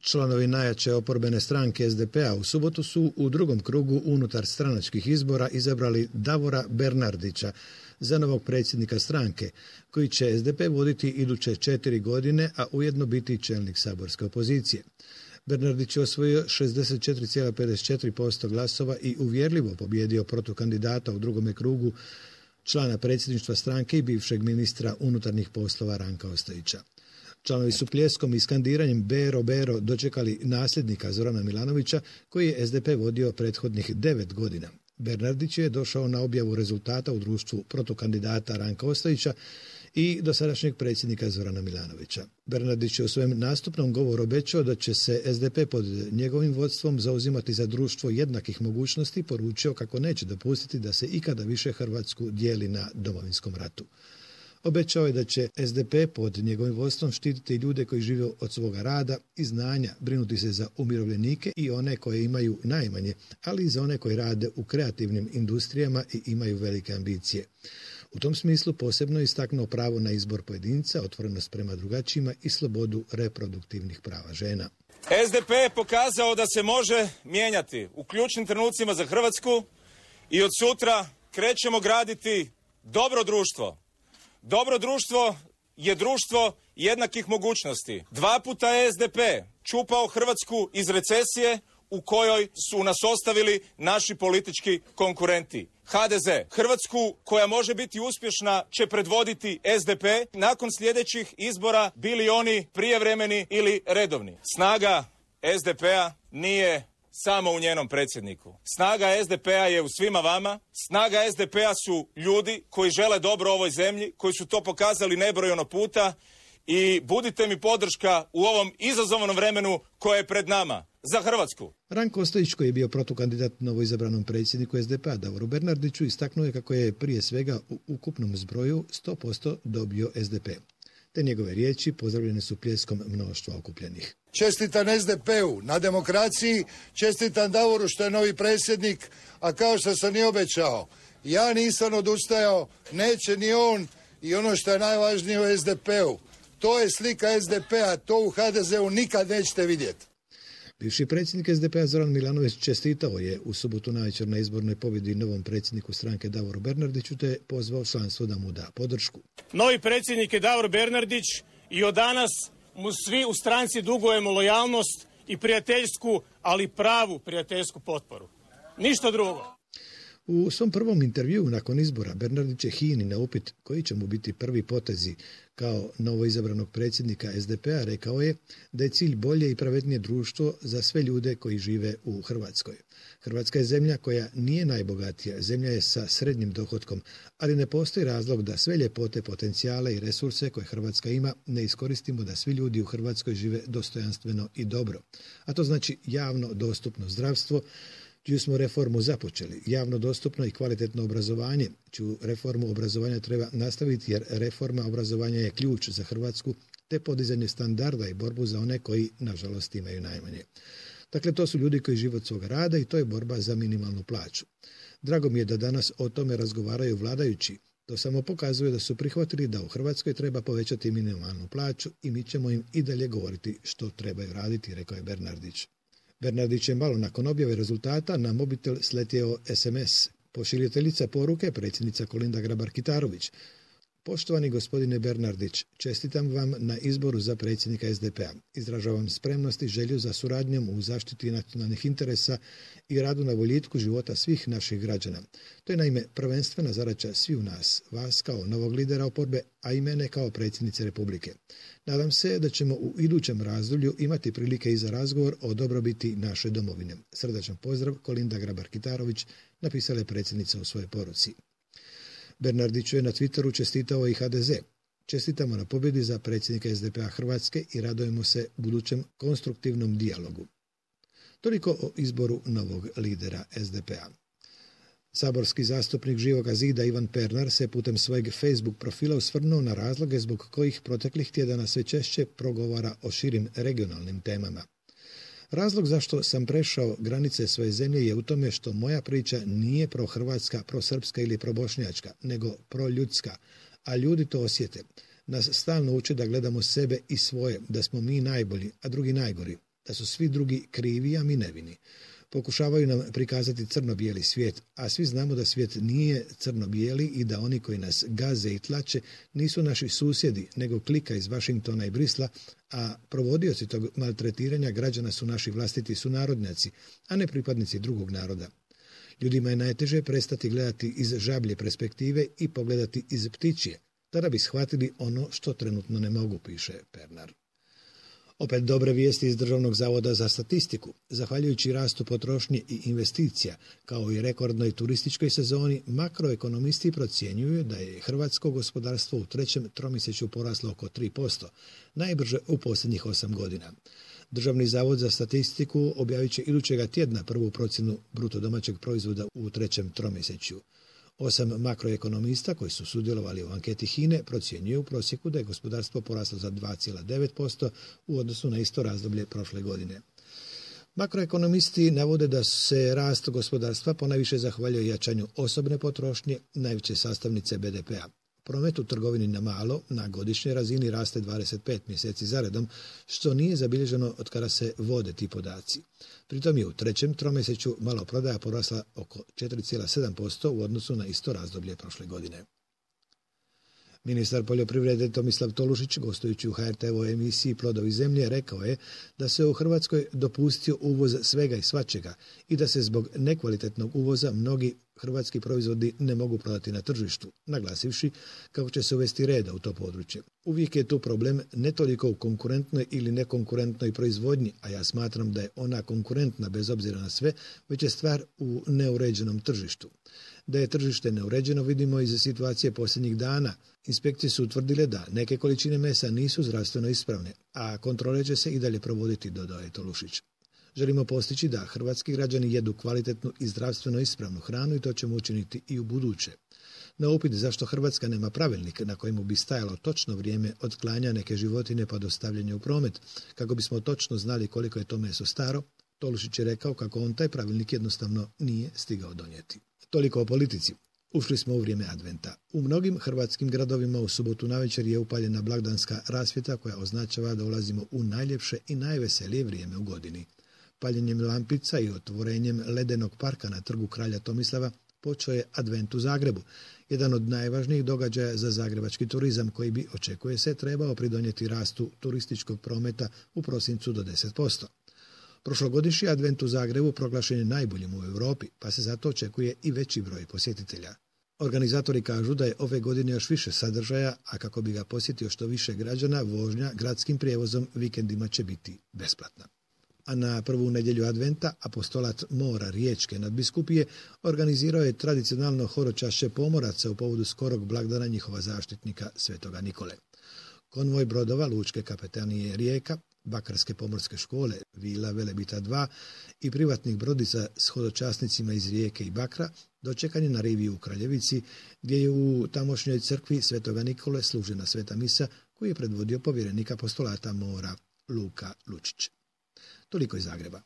Članovi najjače oporbene stranke SDP-a u subotu su u drugom krugu unutar stranačkih izbora izabrali Davora Bernardića za novog predsjednika stranke, koji će SDP voditi iduće 4 godine, a ujedno biti čelnik saborske opozicije. Bernardić je osvojio 64,54% glasova i uvjerljivo pobjedio protukandidata u drugome krugu, člana predsjedništva stranke i bivšeg ministra unutarnjih poslova Ranka Ostojića. Članovi su pljeskom i skandiranjem Bero, Bero dočekali nasljednika Zorana Milanovića, koji je SDP vodio prethodnih 9 godina. Bernardić je došao na objavu rezultata u društvu protukandidata Ranka Ostojića i dosadašnjeg predsjednika Zorana Milanovića. Bernardić je u svojem nastupnom govoru obećao da će se SDP pod njegovim vodstvom zauzimati za društvo jednakih mogućnosti i poručio kako neće dopustiti da se ikada više Hrvatsku dijeli na Domovinskom ratu. Obećao je da će SDP pod njegovim vodstvom štititi ljude koji žive od svoga rada i znanja, brinuti se za umirovljenike i one koje imaju najmanje, ali i za one koji rade u kreativnim industrijama i imaju velike ambicije. U tom smislu posebno je istaknuo pravo na izbor pojedinca, otvorenost prema drugačijima i slobodu reproduktivnih prava žena. SDP je pokazao da se može mijenjati u ključnim trenucima za Hrvatsku i od sutra krećemo graditi dobro društvo. Dobro društvo je društvo jednakih mogućnosti. 2 puta je SDP čupao Hrvatsku iz recesije u kojoj su nas ostavili naši politički konkurenti. HDZ. Hrvatsku koja može biti uspješna će predvoditi SDP nakon sljedećih izbora, bili oni prijevremeni ili redovni. Snaga SDP-a nije samo u njenom predsjedniku. Snaga SDP-a je u svima vama. Snaga SDP-a su ljudi koji žele dobro ovoj zemlji, koji su to pokazali nebrojeno puta i budite mi podrška u ovom izazovnom vremenu koje je pred nama. Za Hrvatsku. Ranko Ostojić, koji je bio protukandidat novoizabranom predsjedniku SDP-a Davoru Bernardiću, istaknuo je kako je prije svega u ukupnom zbroju 100% dobio SDP. Te njegove riječi pozdravljene su pljeskom mnoštva okupljenih. Čestitam SDP-u na demokraciji, čestitam Davoru što je novi predsjednik, a kao što sam i obećao, ja nisam odustajao, neće ni on i ono što je najvažnije u SDP-u. To je slika SDP-a, to u HDZ-u nikad nećete vidjeti. Bivši predsjednik SDP-a Zoran Milanović čestitao je u subotu navečer na izbornoj pobjedi novom predsjedniku stranke Davoru Bernardiću te pozvao članstvo da mu da podršku. Novi predsjednik je Davor Bernardić i od danas mu svi u stranci dugujemo lojalnost i prijateljsku, ali pravu prijateljsku potporu. Ništa drugo. U svom prvom intervjuu nakon izbora Bernardić je HINA-i na upit koji će mu biti prvi potezi kao novoizabranog predsjednika SDP-a rekao je da je cilj bolje i pravednije društvo za sve ljude koji žive u Hrvatskoj. Hrvatska je zemlja koja nije najbogatija, zemlja je sa srednjim dohotkom, ali ne postoji razlog da sve ljepote, potencijale i resurse koje Hrvatska ima ne iskoristimo da svi ljudi u Hrvatskoj žive dostojanstveno i dobro. A to znači javno dostupno zdravstvo, čiju smo reformu započeli, javno dostupno i kvalitetno obrazovanje, čiju reformu obrazovanja treba nastaviti jer reforma obrazovanja je ključ za Hrvatsku, te podizanje standarda i borbu za one koji, nažalost, imaju najmanje. Dakle, to su ljudi koji žive od svoga rada i to je borba za minimalnu plaću. Drago mi je da danas o tome razgovaraju vladajući. To samo pokazuje da su prihvatili da u Hrvatskoj treba povećati minimalnu plaću i mi ćemo im i dalje govoriti što trebaju raditi, rekao je Bernardić. Bernardić je malo nakon objave rezultata na mobitel sletio SMS. Pošiljateljica poruke, predsjednica Kolinda Grabar-Kitarović. Poštovani gospodine Bernardić, čestitam vam na izboru za predsjednika SDP-a. Izražavam spremnost i želju za suradnjom u zaštiti nacionalnih interesa i radu na boljitku života svih naših građana. To je naime prvenstvena zadaća svih nas, vas kao novog lidera oporbe, a i mene kao predsjednice Republike. Nadam se da ćemo u idućem razdoblju imati prilike i za razgovor o dobrobiti naše domovine. Srdačan pozdrav, Kolinda Grabar-Kitarović, napisala je predsjednica u svojoj poruci. Bernardiću je na Twitteru čestitao i HDZ. Čestitamo na pobjedi za predsjednika SDP-a Hrvatske i radujemo se budućem konstruktivnom dijalogu. Toliko o izboru novog lidera SDP-a. Saborski zastupnik Živoga zida Ivan Pernar se putem svojeg Facebook profila osvrnuo na razloge zbog kojih proteklih tjedana sve češće progovara o širim regionalnim temama. Razlog zašto sam prešao granice svoje zemlje je u tome što moja priča nije prohrvatska, prosrpska ili probošnjačka, nego proljudska, a ljudi to osjete. Nas stalno uče da gledamo sebe i svoje, da smo mi najbolji, a drugi najgori. da su svi drugi krivi, a mi nevini. Pokušavaju nam prikazati crno-bijeli svijet, a svi znamo da svijet nije crno-bijeli i da oni koji nas gaze i tlače nisu naši susjedi, nego klika iz Vašingtona i Brisla, a provodioci tog maltretiranja građana su naši vlastiti sunarodnjaci, a ne pripadnici drugog naroda. Ljudima je najteže prestati gledati iz žablje perspektive i pogledati iz ptičje, da bi shvatili ono što trenutno ne mogu, piše Pernar. Opet dobre vijesti iz Državnog zavoda za statistiku. Zahvaljujući rastu potrošnje i investicija, kao i rekordnoj turističkoj sezoni, makroekonomisti procjenjuju da je hrvatsko gospodarstvo u trećem tromjesečju poraslo oko 3%, najbrže u posljednjih 8 godina. Državni zavod za statistiku objavit će idućega tjedna prvu procjenu bruto domaćeg proizvoda u trećem tromjesečju. 8 makroekonomista koji su sudjelovali u anketi HINA-e procjenjuju u prosjeku da je gospodarstvo poraslo za 2,9% u odnosu na isto razdoblje prošle godine. Makroekonomisti navode da se rast gospodarstva ponajviše zahvaljuje jačanju osobne potrošnje, najveće sastavnice BDP-a. Promet u trgovini na malo na godišnjoj razini raste 25 mjeseci zaredom, što nije zabilježeno od kada se vode ti podaci. Pritom je u trećem tromjesečju maloprodaja porasla oko 4,7% u odnosu na isto razdoblje prošle godine. Ministar poljoprivrede Tomislav Tolušić, gostujući u HRT-ovoj emisiji Plodovi zemlje, rekao je da se u Hrvatskoj dopustio uvoz svega i svačega i da se zbog nekvalitetnog uvoza mnogi hrvatski proizvodi ne mogu prodati na tržištu, naglasivši kako će se uvesti reda u to područje. Uvijek je tu problem ne toliko u konkurentnoj ili nekonkurentnoj proizvodnji, a ja smatram da je ona konkurentna bez obzira na sve, već je stvar u neuređenom tržištu. Da je tržište neuređeno vidimo iz situacije posljednjih dana. Inspekcije su utvrdile da neke količine mesa nisu zdravstveno ispravne, a kontrole će se i dalje provoditi, dodao je Tolušić. Želimo postići da hrvatski građani jedu kvalitetnu i zdravstveno ispravnu hranu i to ćemo učiniti i u buduće. Na upit zašto Hrvatska nema pravilnik na kojemu bi stajalo točno vrijeme od klanja neke životinje pa do stavljanja u promet, kako bismo točno znali koliko je to meso staro, Tolušić je rekao kako on taj pravilnik jednostavno nije stigao donijeti. Toliko o politici. Ušli smo u vrijeme adventa. U mnogim hrvatskim gradovima u subotu navečer je upaljena blagdanska rasvjeta koja označava da ulazimo u najljepše i najveselije vrijeme u godini. Paljenjem lampica i otvorenjem ledenog parka na trgu Kralja Tomislava počeo je advent u Zagrebu, jedan od najvažnijih događaja za zagrebački turizam koji bi, očekuje se, trebao pridonijeti rastu turističkog prometa u prosincu do 10%. Prošlogodišnji advent u Zagrebu proglašen je najboljim u Europi, pa se zato očekuje i veći broj posjetitelja. Organizatori kažu da je ove godine još više sadržaja, a kako bi ga posjetio što više građana, vožnja gradskim prijevozom vikendima će biti besplatna. A na prvu nedjelju adventa apostolat Mora Riječke nadbiskupije organizirao je tradicionalno horočašće pomoraca u povodu skorog blagdana njihova zaštitnika Svetoga Nikole. Konvoj brodova Lučke kapetanije Rijeka, Bakarske pomorske škole, Vila Velebita 2 i privatnih brodica s hodočasnicima iz Rijeke i Bakra dočekan je na rivi u Kraljevici, gdje je u tamošnjoj crkvi Svetoga Nikole služena sveta misa koju je predvodio povjerenik apostolata Mora Luka Lučić. Toliko iz Zagreba.